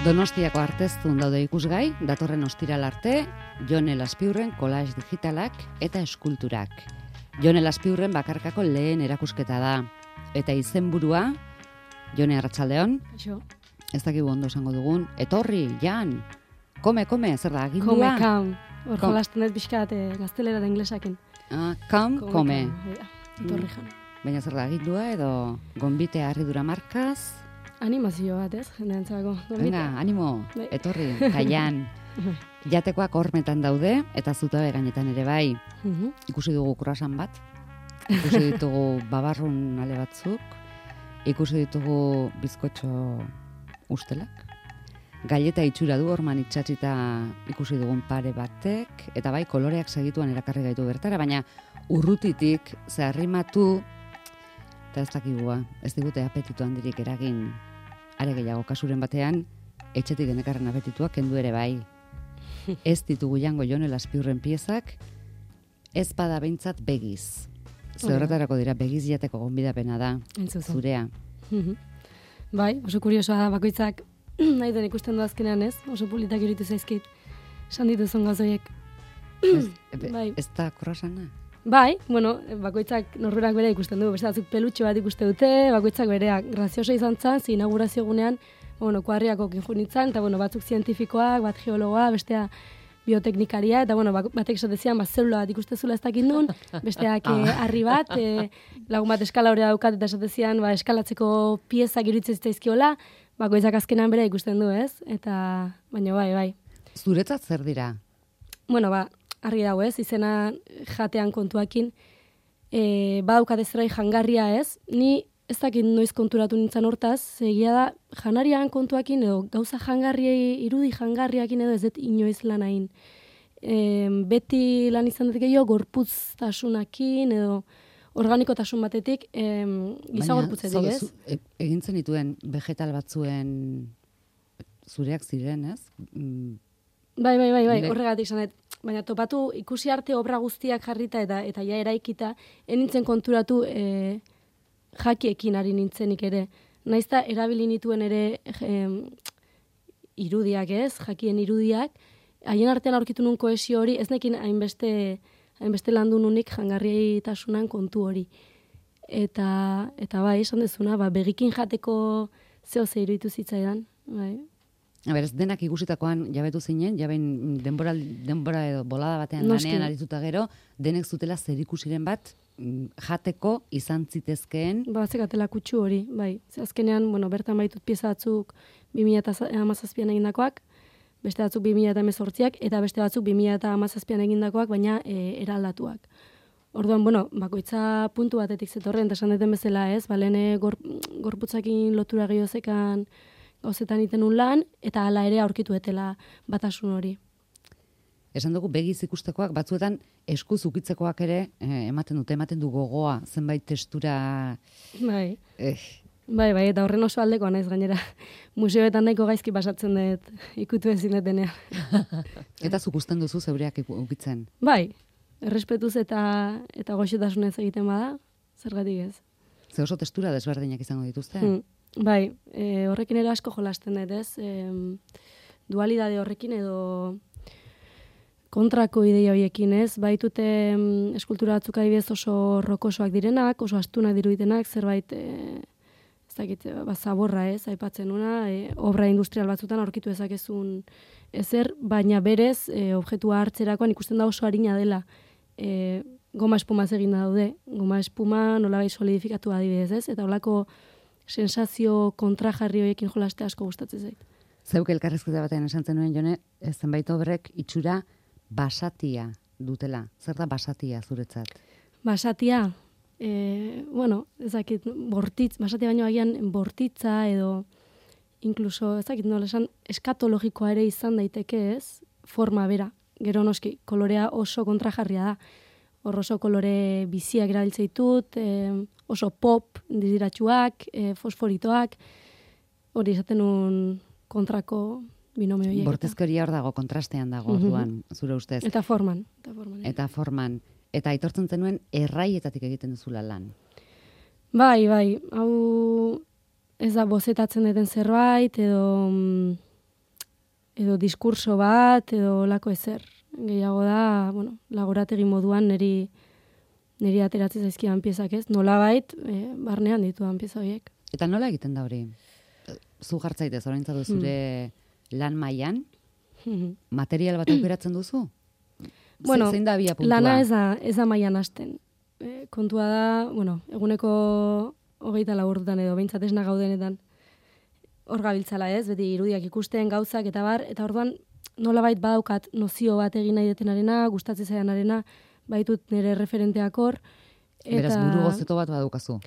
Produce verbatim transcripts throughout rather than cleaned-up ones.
Donostiako arteztun daude ikusgai, datorren ostiral arte, Jone Laspiurren kolage digitalak eta eskulturak. Jone Laspiurren bakarkako lehen erakusketa da. Eta izenburua, Jone, arratsaldeon. Kaixo. Ez dakigu ondo esango dugun. Etorri, Jan, kome, kome, zer da, agindua? Kome, kam. Hor jolasten ez bizkat eh, gaztelera da inglesakin. Ah, kam, kome. Etorri jan. Baina zer da, agindua edo gonbite harridura markaz? Animazio bat ez, jendeantzako. Venga, animo, Bai. etorri, kaian. Jatekoak hormetan daude, eta zutabe gainetan ere bai. Mhm. Ikusi dugu kurasan bat, ikusi ditugu babarrun ale batzuk, ikusi ditugu bizkotxo ustelak, galleta itxura du horman itxatxita ikusi dugun pare batek, eta bai koloreak segituan erakarri gaitu bertara, baina urrutitik zeharrimatu, eta ez dakigua, ez digute apetitu handirik eragin, are gehiago kasuren batean, etxetik genekarren apetituak kendu ere bai. Ez ditugu jango Jone Laspiurren piezak, ez bada behintzat begiz. Zerretarako dira, begiz jateko gonbidapena da, Entzuzu. zurea. Mhm. Bai, oso kuriosoa da, bakoitzak nahi den ikusten du azkenean ez, oso politak iritu zaizkit, esan dituzun gazoiek. Ez, be- Bai. ez da krosana? Bai, bueno, bakoitzak norberak bere ikusten du, beste batzuk pelutxo bat ikuste dute, bakoitzak bereak. Grazioso izan zen, ze inaugurazio egunean, bueno, kuadriako kinjunitzan, eta bueno, batzuk zientifikoak, bat geologoa, bestea bioteknikaria, eta bueno, bak- batek esatezian, bat zelula bat ikustezula ez dakit nun, besteak eh, harri bat, eh, lagun bat eskala hori daukat, eta esatezian, ba, eskalatzeko piezak iruditzen zitzaizkiola, bakoitzak azkenan bere ikusten du, ez? Eta, baina bai, bai. Zuretzat zer dira? Bueno, ba, argi dago ez, izena jatean kontuakin, e, badaukat ezrai jangarria ez, ni ez dakit noiz konturatu nintzen hortaz, ze egia da, janarian kontuakin edo gauza jangarriei, irudi jangarriakin edo ez dut inoiz lan hain. E, beti lan izan dut gehiago gorputztasunakin edo organikotasun batetik, e, giza Baina, gorputzetik zaude, ez. zu- e- egintzen dituen vegetal batzuen zureak ziren, ez? Mm, Bai, bai, bai, bai, Nire- horregatik esan dut. Baina topatu ikusi arte obra guztiak jarrita eta eta ja eraikita, enintzen konturatu e, jakiekin ari nintzenik ere. Naizta erabili nituen ere em, irudiak ez, jakien irudiak, haien artean aurkitu nun kohesio hori, ez nekin hainbeste, hainbeste landu nunik jangarrietasunan kontu hori. Eta, eta bai, esan dezuna, ba, begikin jateko zeo ze iruditu zitzaidan. Bai. A ber, ez denak ikusitakoan jabetu zinen, jabein denbora, denbora edo bolada batean Noski. lanean arituta gero, denek zutela zer ikusiren bat mm, jateko izan zitezkeen. Ba, zekatela kutsu hori, bai. Ze azkenean, bueno, bertan baitut pieza batzuk bi mila hamazazpian egindakoak, beste batzuk bi mila hemezortziak, eta beste batzuk bi mila hamazazpian egindakoak, baina e, eraldatuak. Orduan, bueno, bakoitza puntu batetik zetorren, eta esan deten bezala ez, ba, lehen gor, gorputzakin lotura gehiozekan gauzetan iten un lan, eta hala ere aurkitu etela batasun hori. Esan dugu begiz ikustekoak batzuetan eskuz ukitzekoak ere eh, ematen dute, ematen du gogoa, zenbait testura... Bai. Eh, Bai, bai, eta horren oso aldekoa naiz gainera. Museoetan nahiko gaizki pasatzen dut ikutu ezin detenean. eta zuk usten duzu zeureak iku- ukitzen. Bai, errespetuz eta eta goxotasunez egiten bada, zergatik ez. Ze oso testura desberdinak izango dituzte. Hmm. Bai, e, horrekin ere asko jolasten dut, ez? E, dualidade horrekin edo kontrako ideia horiekin, ez? Baitute em, eskultura batzuk adibidez oso rokosoak direnak, oso astunak diruditenak, zerbait e, ez dakit, ba, zaborra, ez? Aipatzen una, e, obra industrial batzutan aurkitu dezakezun ezer, baina berez e, objektua hartzerakoan ikusten da oso arina dela. E, goma espumaz egin daude, goma espuma nolabait solidifikatu adibidez, ez? Eta holako sensazio kontrajarri horiekin jolaste asko gustatzen zait. Zeuk elkarrezketa batean esan zenuen Jone, eh, zenbait obrek itxura basatia dutela. Zer da basatia zuretzat? Basatia, e, bueno, ezakit, bortitz, basatia baino agian bortitza edo inkluso, ezakit nola esan, eskatologikoa ere izan daiteke ez, forma bera. Gero noski, kolorea oso kontrajarria da. Hor oso kolore biziak erabiltzen ditut, e, oso pop diziratsuak, e, fosforitoak, hori esaten un kontrako binomio horiek. Bortizkeria hor dago, kontrastean dago, orduan, zure ustez. Eta forman. Eta forman. Eta forman. Eta aitortzen zenuen erraietatik egiten duzula lan. Bai, bai, hau ez da bozetatzen deten zerbait, edo mm, edo diskurso bat, edo lako ezer. Gehiago da, bueno, laborategi moduan niri, niri ateratzen zaizkidan piezak ez, nolabait e, barnean dituan pieza horiek. Eta nola egiten da hori? Zu jartzaitez, orain zadu zure hmm. lan mailan, hmm. material bat aukeratzen duzu? Bueno, zein da bia puntua? Lana ez da, ez da mailan hasten. E, kontua da, bueno, eguneko hogeita lau ordutan edo, behintzat esna gaudenetan, hor gabiltzala ez, beti irudiak ikusten, gauzak, eta bar, eta orduan nolabait badaukat nozio bat egin nahi detenarena, gustatzen zaidanarena, baitut nire referenteak hor. Eta... Beraz, buru gozeto bat badaukazu.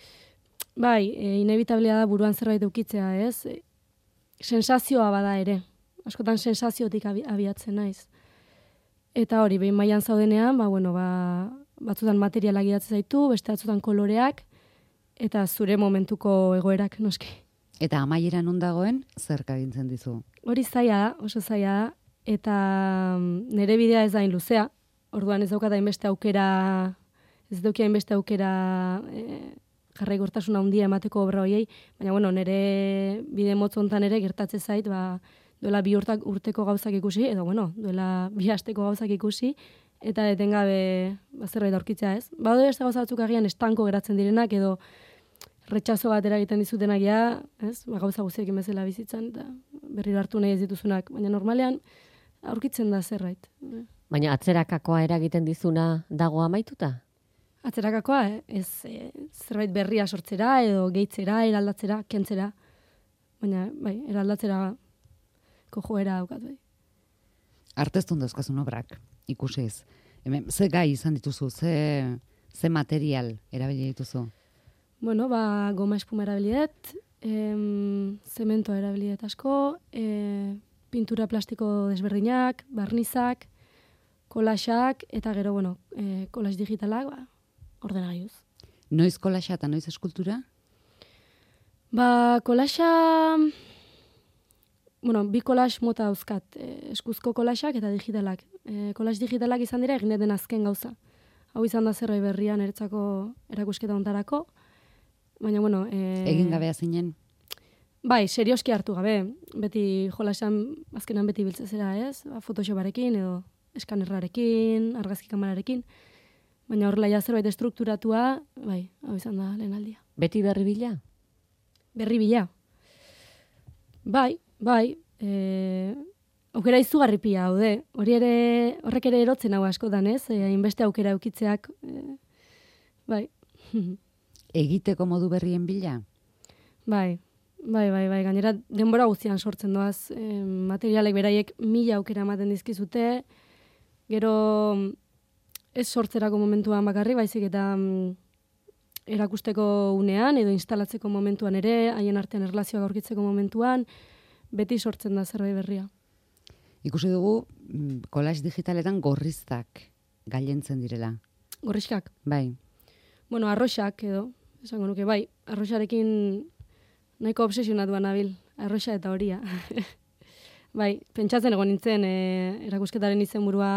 Bai, e, inevitablea da buruan zerbait eukitzea, ez? E, sensazioa bada ere. Askotan sensaziotik abi, abiatzen naiz. Eta hori, behin mailan zaudenean, ba, bueno, ba, batzutan materiala gidatzen zaitu, beste batzutan koloreak, eta zure momentuko egoerak, noski. Eta amaieran non dagoen, zer kagintzen dizu? Hori zaila da, oso zaila da, eta nire bidea ez da hain luzea, orduan ez daukat hainbeste aukera, ez dauki hainbeste aukera e, jarraikortasuna handia emateko obra hoiei, baina bueno, nire bide motz hontan ere gertatzen zait, ba, duela bi urtak urteko gauzak ikusi, edo bueno, duela bi asteko gauzak ikusi, eta etengabe ba, zerbait aurkitzea ez. Bado beste gauza batzuk agian estanko geratzen direnak, edo retxazo bat eragiten dizutenak ja, ez? Ba, gauza guztiekin bezala bizitzan, eta berriro hartu nahi ez dituzunak, baina normalean aurkitzen da zerbait. Baina atzerakakoa eragiten dizuna dago amaituta? Atzerakakoa, eh? ez e, zerbait berria sortzera, edo gehitzera, eraldatzera, kentzera, baina bai, eraldatzera joera daukat bai. Arteztun dauzkazun obrak, ikusiz. Hemen, ze gai izan dituzu, ze, ze material erabili dituzu? Bueno, ba, goma espuma erabiliet, em, zementoa erabiliet asko, e, pintura plastiko desberdinak, barnizak, kolaxak, eta gero, bueno, e, kolax digitalak, ba, ordenagailuz. Noiz kolaxa eta noiz eskultura? Ba, kolaxa... Bueno, bi kolax mota dauzkat, e, eskuzko kolaxak eta digitalak. E, kolax digitalak izan dira egin den azken gauza. Hau izan da zerbait berria niretzako erakusketa hontarako. Baina, bueno... E, Egin gabea zinen? Bai, serioski hartu gabe. Beti jolasan azkenan beti biltzezera, ez? Ba, Photoshoparekin edo eskanerrarekin, argazki kamerarekin. Baina horrela ja zerbait estrukturatua, bai, hau izan da lehen aldia. Beti berri bila? Berri bila. Bai, bai. E, aukera izugarri pila haude. Hori ere, horrek ere erotzen hau askotan, ez? E, hainbeste aukera eukitzeak, e, bai. Egiteko modu berrien bila? Bai, bai, bai, bai. Gainera denbora guztian sortzen doaz. E, materialek beraiek mila aukera ematen dizkizute, gero ez sortzerako momentuan bakarri, baizik eta mm, erakusteko unean edo instalatzeko momentuan ere, haien artean erlazioak aurkitzeko momentuan, beti sortzen da zerbait berria. Ikusi dugu, kolax digitaletan gorriztak gailentzen direla. Gorrizkak? Bai. Bueno, arroxak edo, esango nuke, bai, arroxarekin nahiko obsesionatuan nabil, arroxa eta horia. Bai, pentsatzen egon nintzen, e, erakusketaren izenburua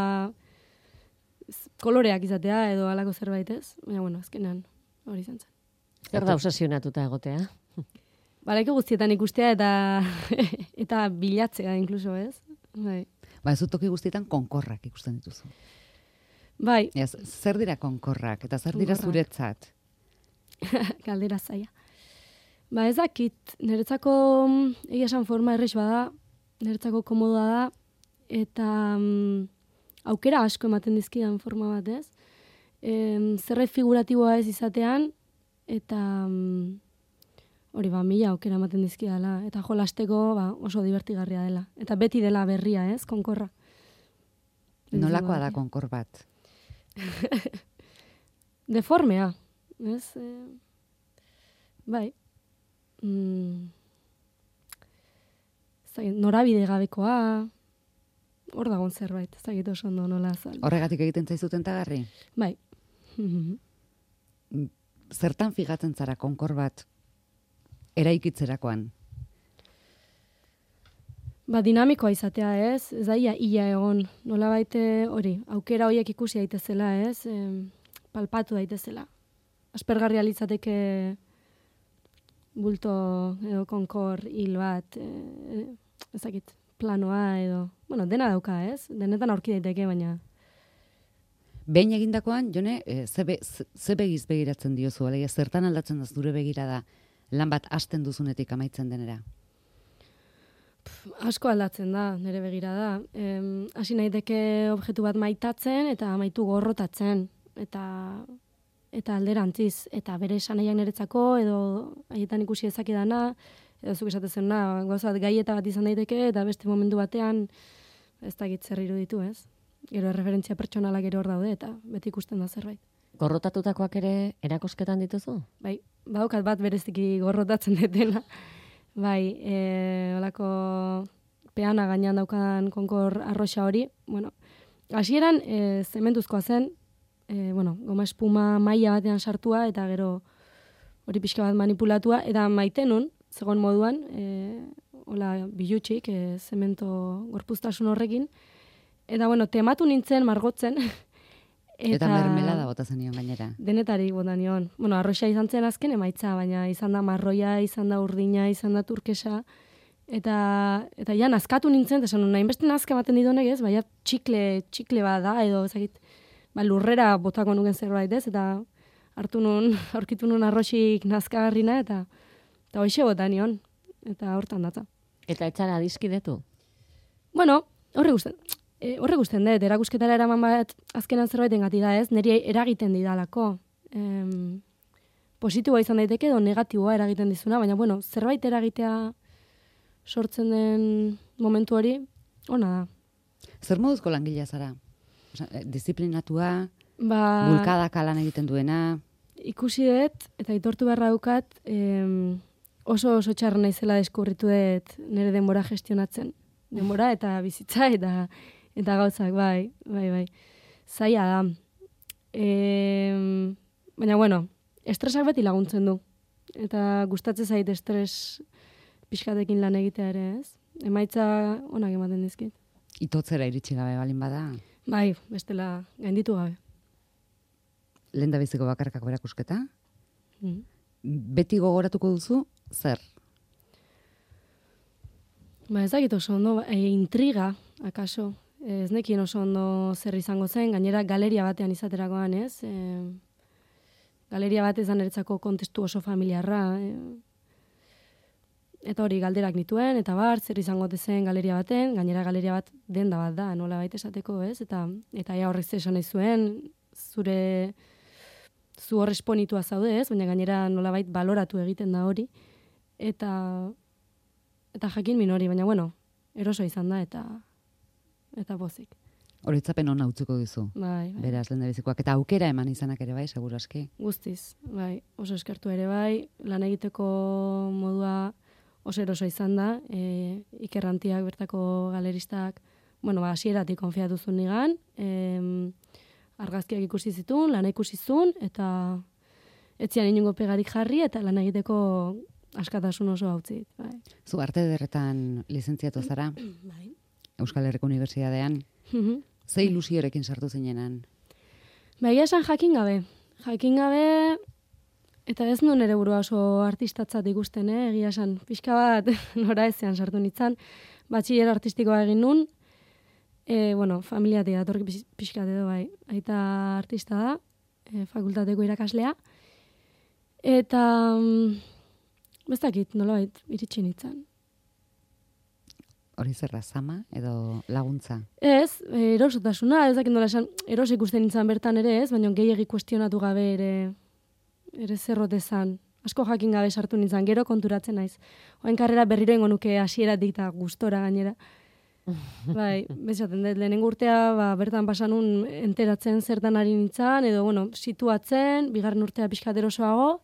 koloreak izatea edo halako zerbait ez, baina bueno, azkenean hori izan zen. Zer da obsesionatuta egotea? Balaiko guztietan ikustea eta eta bilatzea inkluso, ez? Bai. Ba, ez toki guztietan konkorrak ikusten dituzu. Bai. Ez, zer dira konkorrak eta zer dira zuretzat? Galdera zaila. Ba, ez dakit, niretzako egia esan forma errex bada, niretzako komodoa da, eta um, aukera asko ematen dizkidan forma bat, ez? E, zerbait figuratiboa ez izatean, eta um, hori ba, mila aukera ematen dizkidala, eta jolasteko ba, oso divertigarria dela. Eta beti dela berria, ez, konkorra. Nolakoa da konkor bat? Deformea, ez? E, bai. Mm, zagin, norabide gabekoa, hor dagoen zerbait, ez dakit oso ondo nola azal. Horregatik egiten zaizuten tagarri? Bai. Zertan figatzen zara konkor bat eraikitzerakoan? Ba, dinamikoa izatea, ez? Ez da ia, ia egon. Nola baite hori, aukera horiek ikusi daitezela, ez? E, palpatu daitezela. Aspergarria litzateke bulto edo konkor hil bat, e, ezakit, planoa edo, bueno, dena dauka, ez? Denetan aurki daiteke, baina... Behin egindakoan, Jone, e, ze, be, ze, ze begiz begiratzen diozu, alegia, zertan aldatzen da zure begirada lan bat hasten duzunetik amaitzen denera? Pff, asko aldatzen da, nire begirada. Em, hasi naiteke objektu bat maitatzen eta amaitu gorrotatzen. Eta eta alderantziz, eta bere esanaiak niretzako, edo haietan ikusi ezakidana, edo zuk esatezen na, gauza bat gaieta bat izan daiteke, eta beste momentu batean ez dakit zer iruditu, ez? Gero erreferentzia pertsonalak ere hor daude, eta beti ikusten da zerbait. Gorrotatutakoak ere erakosketan dituzu? Bai, badaukat bat bereziki gorrotatzen detena. Bai, e, olako peana gainean daukan konkor arroxa hori, bueno, hasieran e, zementuzkoa zen, e, bueno, goma espuma maila batean sartua, eta gero hori pixka bat manipulatua, eta maitenun, zegoen moduan, e, hola bilutxik, e, zemento gorpuztasun horrekin, eta bueno, tematu nintzen, margotzen, Eta, eta mermelada bota zenion gainera. Denetari bota nion. Bueno, arroxa izan zen azken emaitza, baina izan da marroia, izan da urdina, izan da turkesa, eta eta ja nazkatu nintzen, esan nahi beste nazka ematen didonek ez, baina txikle, txikle bat da, edo ezagit, ba, lurrera botako nuken zerbait ez, eta hartu nun, aurkitu nun arroxik nazkagarrina, eta eta hoxe bota nion, eta hortan datza. Eta etxara adiskidetu? Bueno, horre gusten. E, horre guztien dut, erakusketara eraman bat azkenan zerbaiten gati da ez, niri eragiten didalako. Em, positiboa izan daiteke edo negatiboa eragiten dizuna, baina bueno, zerbait eragitea sortzen den momentu hori, ona da. Zer moduzko langilea zara? Osa, disiplinatua, ba, bulkadaka lan egiten duena? Ikusi dut, eta aitortu beharra dukat, em, oso oso txarra naizela deskubritu dut nire denbora gestionatzen. Denbora eta bizitza eta eta gauzak, bai, bai, bai. Zaila da. E, baina, bueno, estresak beti laguntzen du. Eta gustatzen zait estres pixkatekin lan egitea ere, ez? Emaitza onak ematen dizkit. Itotzera iritsi gabe balin bada? Bai, bestela gainditu gabe. Lehen da biziko bakarkako erakusketa? Mm. Beti gogoratuko duzu, zer? Ba, ez dakit oso ondo, e, intriga, akaso. Ez nekien oso ondo zer izango zen, gainera galeria batean izaterakoan, ez? E, galeria bat ez da niretzako kontestu oso familiarra. E, eta hori galderak nituen, eta bar, zer izango zen galeria baten, gainera galeria bat denda bat da, nola baita esateko, ez? Eta eta ja horrek zesan nahi zuen, zure zu horresponitua zaude, ez? Baina gainera nola bait baloratu egiten da hori. Eta eta jakin min hori, baina bueno, eroso izan da, eta eta pozik. Horitzapen hona utzuko duzu. Bai, bai. Beraz, lehen bizikoak. Eta aukera eman izanak ere bai, seguru aski. Guztiz, bai. Oso eskertu ere bai. Lan egiteko modua oso eroso izan da. E, ikerrantiak, bertako galeristak, bueno, ba, hasieratik konfiatu zuen nigan. E, argazkiak ikusi zitun, lana ikusi zuen, eta etzian inungo pegarik jarri, eta lan egiteko askatasun oso hautzit. Bai. Zu arte ederretan lizentziatu zara? Bai. Euskal Herriko Unibertsitatean. Ze ilusiorekin sartu zinenan? Ba, egia esan jakin gabe. Jakin gabe, eta ez nuen ere burua oso artistatzat ikusten, eh? Egia esan, pixka bat nora ezean sartu nintzen. Batxiller artistikoa egin nun, e, bueno, familiatik datorki pixkat edo bai. Aita artista da, e, fakultateko irakaslea. Eta, mm, ez dakit, nolabait, iritsi nintzen. Hori zerra, zama edo laguntza? Ez, erosotasuna, ez dakit nola esan, eros ikusten nintzen bertan ere ez, baina gehiagi kuestionatu gabe ere, ere zerrotezan. Asko jakin gabe sartu nintzen, gero konturatzen naiz. Oain karrera berriro ingo nuke hasieratik eta gustora gainera. Bai, bezaten dut, lehenengo urtea, ba, bertan pasanun enteratzen zertan ari nintzen, edo, bueno, situatzen, bigarren urtea pixkat erosoago,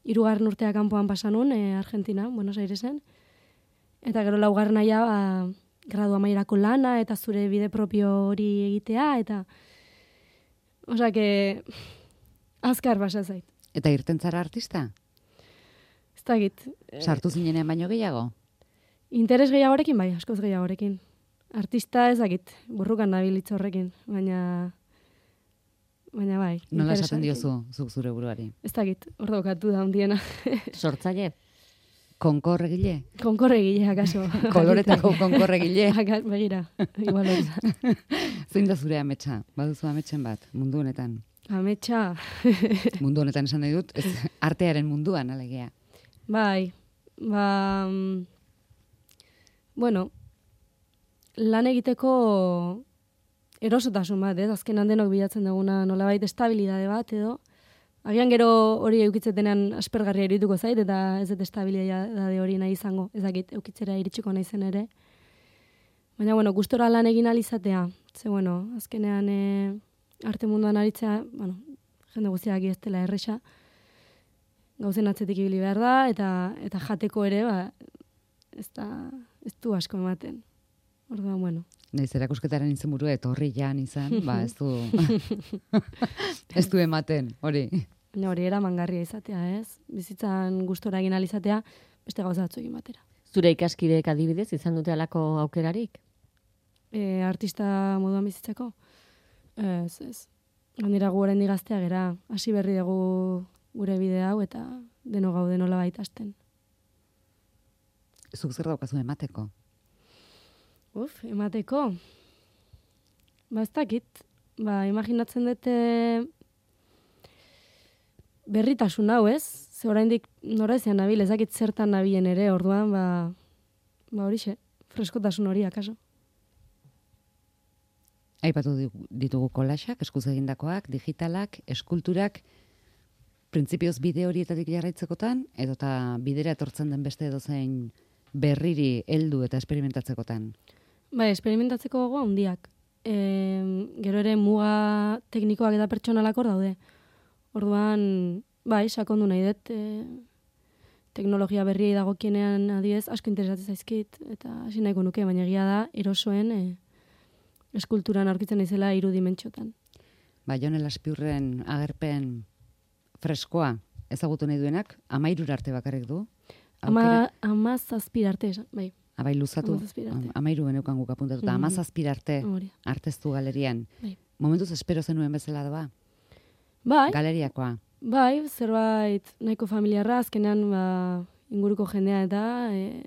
hirugarren urtea kanpoan pasanun, e, Argentina, Buenos Airesen. Eta gero laugarren aia, ba, gradu amaierako lana, eta zure bide propio hori egitea, eta osea, que azkar basa zait. Eta irten zara artista? Ez dakit. Sartu zinenean baino gehiago? Interes gehiagorekin, bai, askoz gehiagorekin. Artista ez dakit, burrukan nabilitz horrekin, baina baina bai. Nola esaten diozu, zuk zure buruari? Ez dakit, hor daukatu da hundiena. Sortzaile? Konkorregile? Konkorregile, akaso. Koloretako konkorregile? Akas, begira, igual hori da. Zein da zure ametsa? Baduzu ametsen bat, mundu honetan? Ametsa. Mundu honetan esan nahi dut, ez artearen munduan, alegia. Bai, ba... mm, Bueno, lan egiteko erosotasun bat, ez? Azkenan denok bilatzen duguna nolabait estabilidade bat, edo. Agian gero hori eukitzetenean aspergarria irituko zait, eta ez dut estabilidade hori nahi izango, ez dakit eukitzera iritsiko naizen ere. Baina, bueno, gustora lan egin alizatea. Ze, bueno, azkenean e, arte munduan aritzea, bueno, jende guztiak ez dela erresa, gauzen atzetik ibili behar da, eta eta jateko ere, ba, ez da, ez du asko ematen. Orduan, bueno. Naiz erakusketaren izenburu etorri jan izan, ba ez du ez du ematen, hori. Baina hori eramangarria izatea, ez? Bizitzan gustora egin alizatea, beste gauza batzu egin batera. Zure ikaskideek adibidez izan dute halako aukerarik? E, artista moduan bizitzeko? Ez, ez. Gainera gu oraindik gaztea gera, hasi berri dugu gure bide hau eta deno gaude nolabait hasten. Zuk zer daukazu emateko? Uf, emateko. Ba, ez dakit. Ba, imaginatzen dute berritasun hau, ez? Ze oraindik noraezean nabil, ez dakit zertan nabilen ere, orduan, ba, ba horixe, freskotasun hori, akaso. Aipatu ditugu kolaxak, eskuz egindakoak, digitalak, eskulturak, printzipioz bide horietatik jarraitzekotan, edota bidera etortzen den beste edozein berriri heldu eta esperimentatzekotan? Bai, esperimentatzeko gogo handiak. E, gero ere muga teknikoak eta pertsonalak hor daude. Orduan, bai, sakondu nahi dut, e, teknologia berriei dagokienean adiez asko interesatzen zaizkit, eta hasi nahiko nuke, baina egia da, erosoen e, eskulturan aurkitzen naizela hiru dimentsiotan. Ba, Jon Elazpiurren agerpen freskoa ezagutu nahi duenak, amairur arte bakarrik du? Ama, ama zazpirarte, bai. Abai luzatu, amairu beneukan guk apuntatuta, Mm-hmm. ama zazpirarte arteztu galerian. Bai. Momentuz espero zenuen bezala doa? Bai. Galeriakoa? Bai, zerbait nahiko familiarra, azkenean ba, inguruko jendea eta e,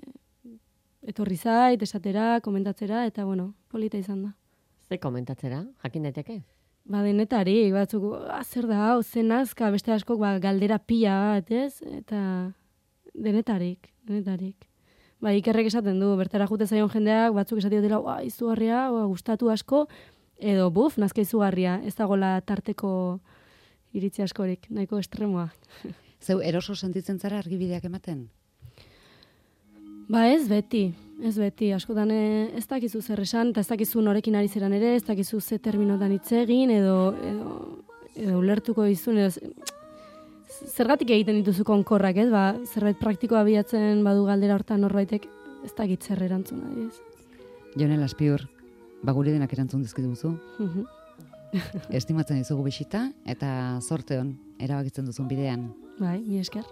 etorri zait, esatera, komentatzera, eta bueno, polita izan da. Ze komentatzera, jakin daiteke? Ba, denetarik, batzuk, ah, zer da, hau, zen azka, beste askok, ba, galdera pila bat, ez? Eta denetarik, denetarik. Ba, ikerrek esaten du, bertara jute zaion jendeak, batzuk esatik dela, ua, izugarria, ua, gustatu asko, edo, buf, nazka izugarria, ez dagoela tarteko iritzi askorik, nahiko estremoa. Zeu, eroso sentitzen zara argibideak ematen? Ba, ez beti, ez beti, askotan ez dakizu zer esan, eta ez dakizu norekin ari zeran ere, ez dakizu ze terminotan hitz egin, edo, edo, edo ulertuko dizun, edo, zergatik egiten dituzu konkorrak, ez? Ba, zerbait praktikoa bilatzen badu galdera hortan norbaitek, ez dakit zer erantzun adiz. Jon Elazpiur, ba gure denak erantzun dizkiguzu. Estimatzen dizugu bisita eta zorte on erabakitzen duzun bidean. Bai, mi esker.